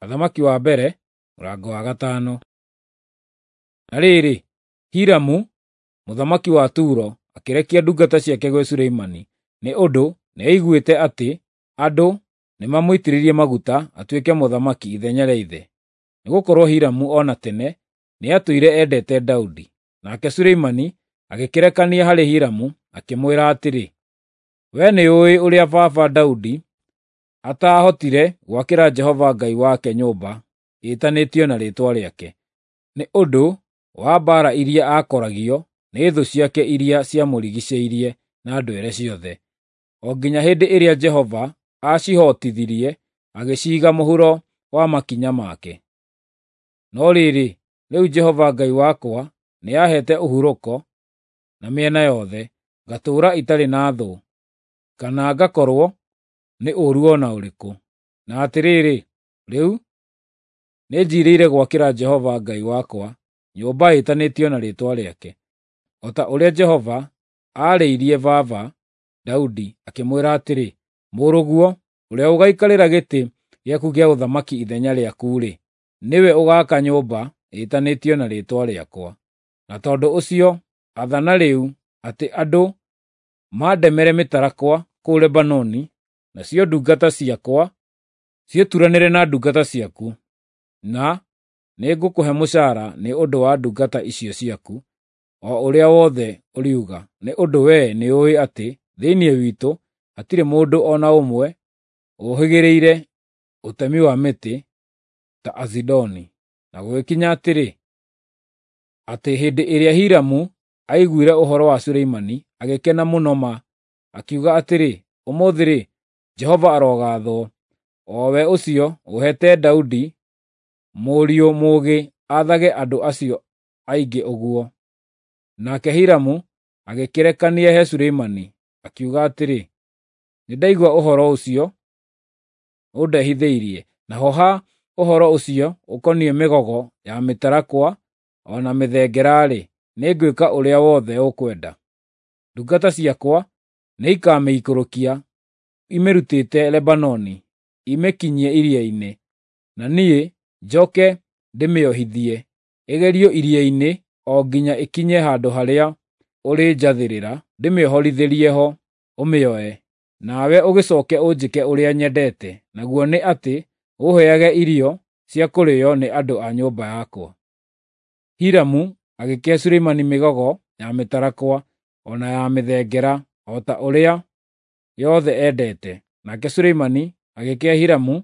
Athamaki wa mbere mũrango wa gatano. Na rĩrĩ, Hiramu mũthamaki wa Turo akĩrekia ndungata ciake gwĩ Suleimani, nĩ ũndũ nĩaiguĩte atĩ andũ nĩmamũitĩrĩirie maguta atuĩke mũthamaki ithenya rĩa ithe. Nĩgũkorwo Hiramu o na tene nĩatũire endete Daudi. Nake Suleimani agĩkĩrekania harĩ Hiramu akĩmwĩra atĩrĩ, “Wee nĩũũĩ ũrĩa baba Daudi ataahotire gwakĩra Jehova Ngai wake nyũmba ĩtanĩtio na Rĩĩtwa rĩake, nĩ ũndũ wa mbaara iria aakoragio nĩ thũ ciake iria ciamũrigiicĩirie na ndwere ciothe, o nginya hĩndĩ ĩrĩa Jehova aacihootithirie agĩciiga mũhuro wa makinya make. No rĩrĩ, rĩu Jehova Ngai wakwa nĩaheete ũhurũko na mĩena yothe, ngatũũra itarĩ na thũ, kana ngakorwo nĩ ũũru o na ũrĩkũ. Na atĩrĩrĩ, rĩu nĩnjiirĩire gwakĩra Jehova Ngai wakwa nyũmba ĩtanĩtio na Rĩĩtwa rĩake, o ta ũrĩa Jehova aarĩirie baba Daudi akĩmwĩra atĩrĩ, ‘Mũrũguo, ũrĩa ũgaikarĩra gĩtĩ gĩaku gĩa ũthamaki ithenya rĩaku-rĩ, nĩwe ũgaaka nyũmba ĩtanĩtio na Rĩĩtwa rĩakwa.’ Na tondũ ũcio athana rĩu atĩ andũ mandemere mĩtarakwa kũu Lebanoni, nacio ndungata ciakwa ciĩturanĩre na ndungata ciaku, na nĩngũkũhe mũcaara nĩ ũndũ wa ndungata icio ciaku, o ũrĩa wothe ũriuga, nĩ ũndũ wee nĩũũĩ atĩ thĩinĩ witũ hatirĩ mũndũ o na ũmwe ũũhĩgĩrĩire ũtemi wa mĩtĩ ta Azidoni.” Na gũgĩkinya atĩrĩ, atĩ hĩndĩ ĩrĩa Hiramu aiguire ũhoro wa Suleimani, agĩkena mũno ma, akiuga atĩrĩ, “Ũmũthĩ-rĩ, Jehova arogathwo, o we ũcio ũheete Daudi mũriũ mũũgĩ aathage andũ acio aingĩ ũguo.” Nake Hiramu agĩkĩrekania he Suleimani, akiuga atĩrĩ, “Nĩndaigua ũhoro ũcio ũndehithĩirie, naho ha ũhoro ũcio ũkoniĩ mĩgogo ya mĩtarakwa o na mĩthengera-rĩ, nĩngwĩka ũrĩa wothe ũkwenda. Ndungata ciakwa nĩikamĩikũrũkia imĩrutĩte Lebanoni imĩkinyie iria-inĩ, na niĩ njoke ndĩmĩohithie ĩgerio iria-inĩ o nginya ĩkinye handũ harĩa ũrĩnjathĩrĩra ndĩmĩohorithĩrie ho ũmĩoe. Nawe ũgĩcooke ũnjĩke ũrĩa nyendete, naguo nĩ atĩ ũũheage irio cia kũrĩĩo nĩ andũ a nyũmba yakwa.” Hiramu agĩkĩhe Suleimani mĩgogo ya mĩtarakwa o na ya mĩthengera o ta ũrĩa yothe endete. Nake Suleimani agĩkĩhe Hiramu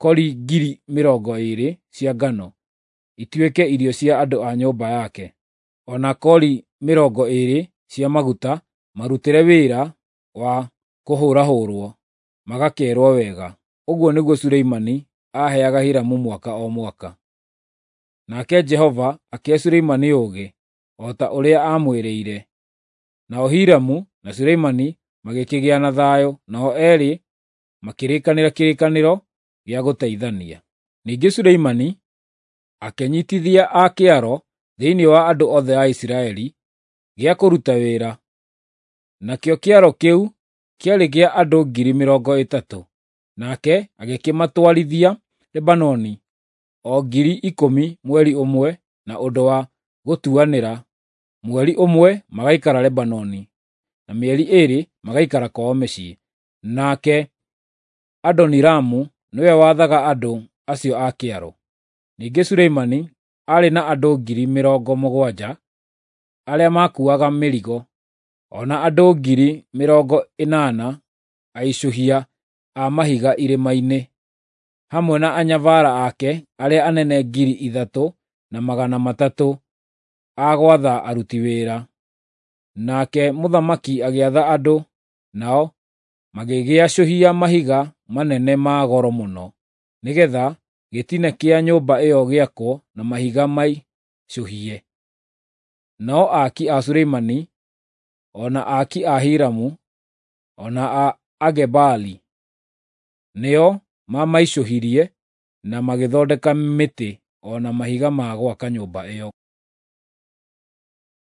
kori 20,000 cia ngano, ituĩke irio cia andũ a nyũmba yake, o na kori 20 cia maguta marutĩre wĩra wa kũhũrahũrwo magakeerwo wega. Ũguo nĩguo Suleimani aaheaga Hiramu mwaka o mwaka. Nake Jehova akĩhe Suleimani ũũgĩ, o ta ũrĩa aamwĩrĩire. Nao Hiramu na Suleimani magĩkĩgĩa na thayũ, nao eerĩ makĩrĩkanĩra kĩrĩkanĩro gĩa gũteithania. Ningĩ Suleimani akĩnyiitithia a kĩaro thĩinĩ wa andũ othe a Isiraeli gĩa kũruta wĩra, nakĩo kĩaro kĩu kĩarĩ kĩa andũ 30,000. Nake agĩkĩmatwarithia Lebanoni, o 10,000 mweri ũmwe na ũndũ wa gũtuanĩra, mweri ũmwe magaikara Lebanoni, na mĩeri 2 magaikara kwao mĩciĩ. Nake Adoniramu nĩwe wathaga andũ acio a kĩaro. Ningĩ Suleimani aarĩ na andũ 70,000 arĩa makuuaga mĩrigo, o na andũ 80,000 aicũhia a mahiga irĩma-inĩ, hamwe na anyabara ake arĩa anene 3,300 a gwatha aruti wĩra. Nake mũthamaki agĩatha andũ, nao magĩgĩacũhia mahiga manene ma goro mũno, nĩgeetha gĩtina kĩa nyũmba ĩyo gĩakwo na mahiga maicũhie. Nao aaki a Suleimani, o na aaki a Hiramu, o na a Agebali nĩo mamaicũhirie na magĩthondeka mĩtĩ o na mahiga ma gwaka nyũmba ĩyo.